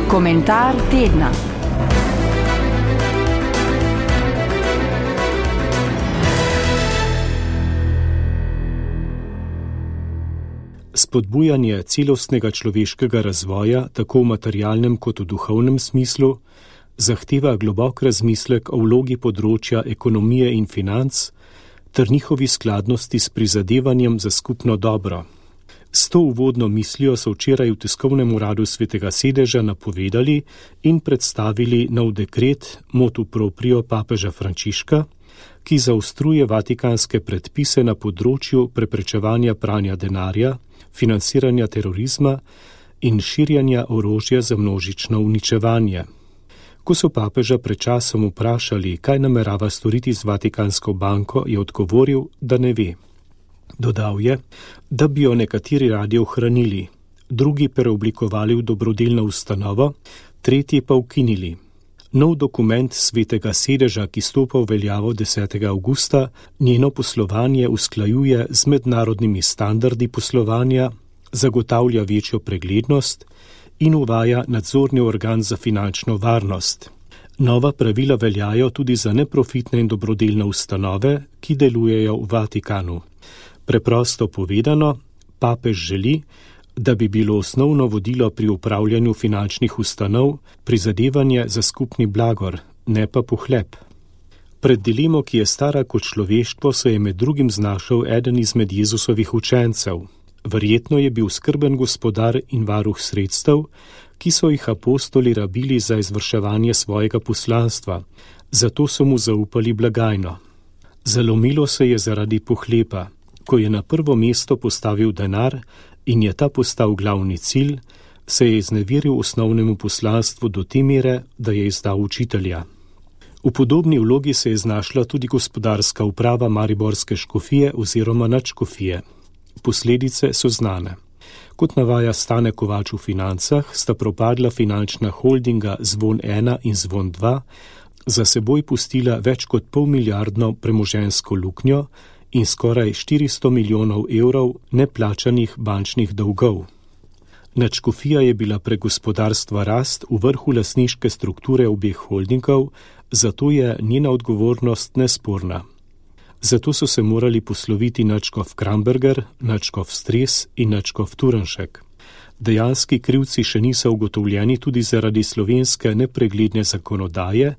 Komentar tedna. Spodbujanje celostnega človeškega razvoja, tako v materialnem kot v duhovnem smislu, zahteva globok razmislek o vlogi področja ekonomije in financ ter njihovi skladnosti s prizadevanjem za skupno dobro. S to uvodno mislijo so včeraj v tiskovnem uradu Svetega sedeža napovedali in predstavili nov dekret motu proprio papeža Frančiška, ki zaostruje vatikanske predpise na področju preprečevanja pranja denarja, financiranja terorizma in širjanja orožja za množično uničevanje. Ko so papeža pred časom vprašali, kaj namerava storiti z Vatikansko banko, je odgovoril, da ne ve. Dodal je, da bi jo nekateri radi ohranili, drugi preoblikovali v dobrodelno ustanovo, tretji pa ukinili. Nov dokument Svetega sedeža, ki stopa v veljavo 10. avgusta, njeno poslovanje usklajuje z mednarodnimi standardi poslovanja, zagotavlja večjo preglednost in uvaja nadzorni organ za finančno varnost. Nova pravila veljajo tudi za neprofitne in dobrodelne ustanove, ki delujejo v Vatikanu. Preprosto povedano, papež želi, da bi bilo osnovno vodilo pri upravljanju finančnih ustanov prizadevanje za skupni blagor, ne pa pohlep. Pred dilemo, ki je stara kot človeštvo, se je med drugim znašel eden izmed Jezusovih učencev. Verjetno je bil skrben gospodar in varuh sredstev, ki so jih apostoli rabili za izvrševanje svojega poslanstva, zato so mu zaupali blagajno. Zalomilo se je zaradi pohlepa, ko je na prvo mesto postavil denar in je ta postal glavni cilj, se je izneveril osnovnemu poslanstvu do te mere, da je izdal učitelja. V podobni vlogi se je znašla tudi gospodarska uprava mariborske škofije oziroma nadškofije. Posledice so znane. Kot navaja Stane Kovač v Financah, sta propadla finančna holdinga Zvon 1 in Zvon 2, za seboj pustila več kot polmilijardno premoženjsko luknjo in skoraj 400 milijonov evrov neplačanih bančnih dolgov. Nadškofija je bila prek gospodarstva rast v vrhu lastniške strukture obeh holdingov, zato je njena odgovornost nesporna. Zato so se morali posloviti nadškof Kramberger, nadškof Stres in nadškof Turnšek. Dejanski krivci še niso ugotovljeni tudi zaradi slovenske nepregledne zakonodaje,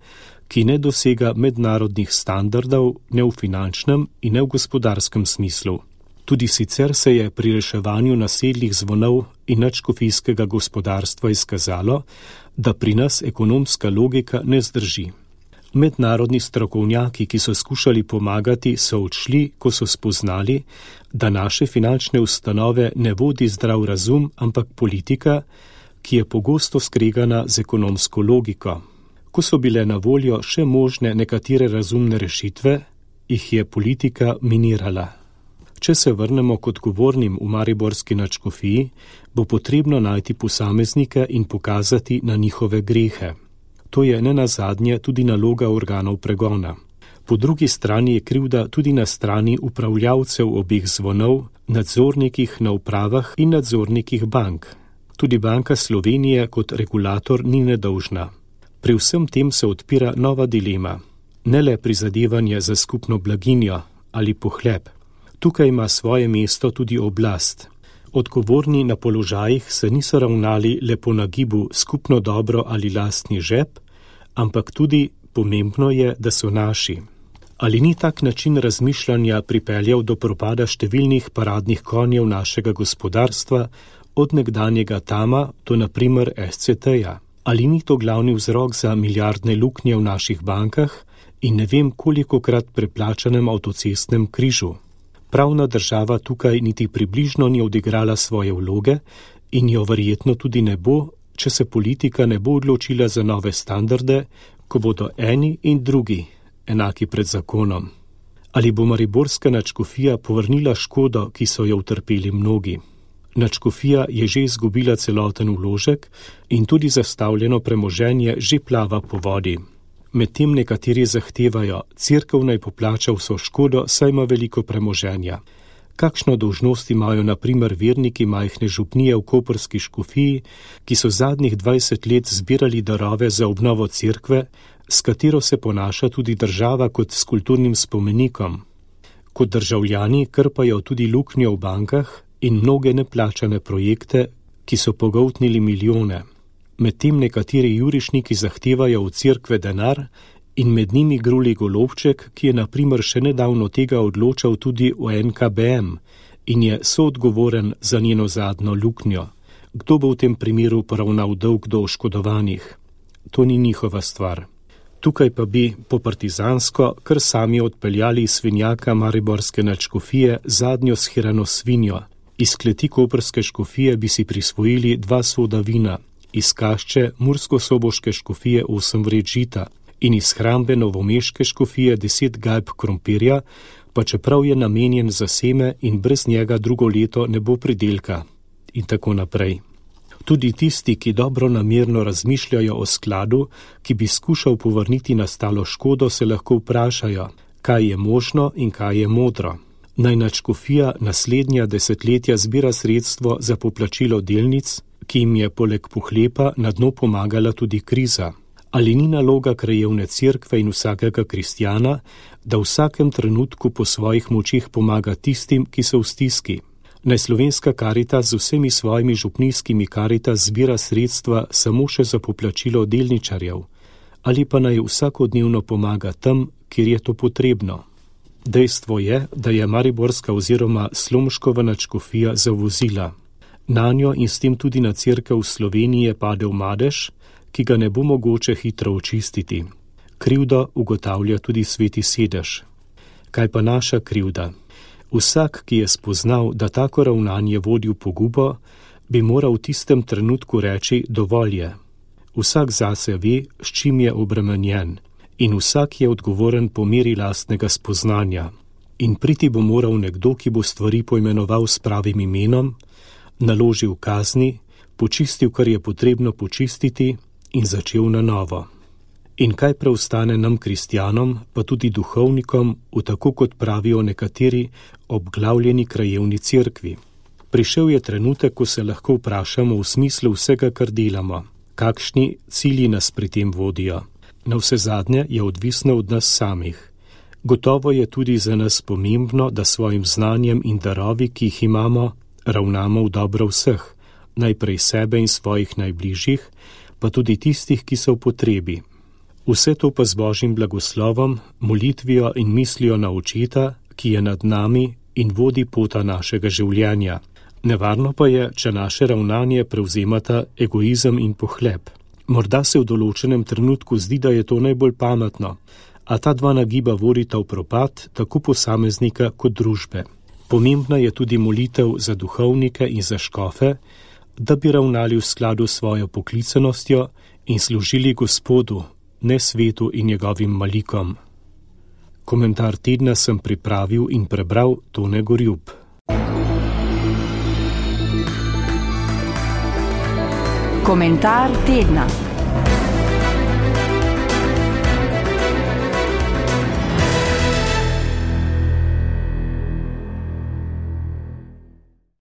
ki ne dosega mednarodnih standardov ne v finančnem in ne v gospodarskem smislu. Tudi sicer se je pri reševanju nasedlih zvonov in nadškofijskega gospodarstva izkazalo, da pri nas ekonomska logika ne zdrži. Mednarodni strokovnjaki, ki so skušali pomagati, so odšli, ko so spoznali, da naše finančne ustanove ne vodi zdrav razum, ampak politika, ki je pogosto skregana z ekonomsko logiko. Ko so bile na voljo še možne nekatere razumne rešitve, jih je politika minirala. Če se vrnemo k odgovornim v mariborski nadškofiji, bo potrebno najti posameznike in pokazati na njihove grehe. To je nenazadnje tudi naloga organov pregona. Po drugi strani je krivda tudi na strani upravljavcev obeh zvonov, nadzornikih na upravah in nadzornikih bank. Tudi Banka Slovenije kot regulator ni nedolžna. Pri vsem tem se odpira nova dilema. Ne le prizadevanje za skupno blaginjo ali pohlep. Tukaj ima svoje mesto tudi oblast. Odgovorni na položajih se niso ravnali le po nagibu skupno dobro ali lastni žep, ampak tudi pomembno je, da so naši. Ali ni tak način razmišljanja pripeljal do propada številnih paradnih konjev našega gospodarstva, od nekdanjega Tama do na primer SCT-ja? Ali ni to glavni vzrok za milijardne luknje v naših bankah in ne vem kolikokrat preplačanem avtocestnem križu? Pravna država tukaj niti približno ni odigrala svoje vloge in jo verjetno tudi ne bo, če se politika ne bo odločila za nove standarde, ko bodo eni in drugi enaki pred zakonom. Ali bo mariborska nadškofija povrnila škodo, ki so jo utrpeli mnogi? Nadškofija je že izgubila celoten vložek in tudi zastavljeno premoženje že plava po vodi. Medtem nekateri zahtevajo, cerkev naj poplača vso škodo, saj ima veliko premoženja. Kakšno dolžnost imajo na primer verniki majhne župnije v koprski škofiji, ki so zadnjih 20 let zbirali darove za obnovo cerkve, s katero se ponaša tudi država kot s kulturnim spomenikom. Kot državljani krpajo tudi luknjo v bankah in mnoge neplačane projekte, ki so pogoltnili milijone. Medtem nekateri jurišniki zahtevajo od cerkve denar in med njimi Gruli Golobček, ki je na primer še nedavno tega odločal tudi o NKBM in je soodgovoren za njeno zadnjo luknjo. Kdo bo v tem primeru poravnal dolg do oškodovanih? To ni njihova stvar. Tukaj pa bi po partizansko kar sami odpeljali iz svinjaka mariborske nadškofije zadnjo shirano svinjo. Iz kleti koprske škofije bi si prisvojili 2 soda vina, iz kašče mursko-soboške škofije 8 vred žita in iz hrambe novomeške škofije 10 gajb krompirja, pa čeprav je namenjen za seme in brez njega drugo leto ne bo pridelka. In tako naprej. Tudi tisti, ki dobro namerno razmišljajo o skladu, ki bi skušal povrniti nastalo škodo, se lahko vprašajo, kaj je možno in kaj je modro. Naj nadškofija naslednja desetletja zbira sredstvo za poplačilo delnic, ki jim je poleg pohlepa na dno pomagala tudi kriza. Ali ni naloga krajevne cerkve in vsakega kristjana, da v vsakem trenutku po svojih močih pomaga tistim, ki so v stiski? Naj Slovenska Karitas z vsemi svojimi župnijskimi Karitas zbira sredstva samo še za poplačilo delničarjev, ali pa naj vsakodnevno pomaga tam, kjer je to potrebno. Dejstvo je, da je mariborska oziroma Slomškova nadškofija zavozila. Nanjo in s tem tudi na cerkev v Sloveniji je padel madež, ki ga ne bo mogoče hitro očistiti. Krivdo ugotavlja tudi sveti sedež. Kaj pa naša krivda? Vsak, ki je spoznal, da tako ravnanje vodi v pogubo, bi moral v tistem trenutku reči dovolj je. Vsak zase ve, s čim je obremenjen, in vsak je odgovoren po meri lastnega spoznanja. In priti bo moral nekdo, ki bo stvari poimenoval s pravim imenom, naložil kazni, počistil, kar je potrebno počistiti in začel na novo. In kaj preostane nam kristjanom, pa tudi duhovnikom, v tako kot pravijo nekateri obglavljeni krajevni cerkvi? Prišel je trenutek, ko se lahko vprašamo v smislu vsega, kar delamo. Kakšni cilji nas pri tem vodijo? Navsezadnje je odvisno od nas samih. Gotovo je tudi za nas pomembno, da svojim znanjem in darovi, ki jih imamo, ravnamo v dobro vseh, najprej sebe in svojih najbližjih, pa tudi tistih, ki so v potrebi. Vse to pa z Božjim blagoslovom, molitvijo in mislijo na Očeta, ki je nad nami in vodi pota našega življenja. Nevarno pa je, če naše ravnanje prevzemata egoizem in pohlep. Morda se v določenem trenutku zdi, da je to najbolj pametno, a ta dva nagiba vodita v propad tako posameznika kot družbe. Pomembna je tudi molitev za duhovnike in za škofe, da bi ravnali v skladu s svojo poklicanostjo in služili Gospodu, ne svetu in njegovim malikom. Komentar tedna sem pripravil in prebral Tone Gorjup. Komentar tedna.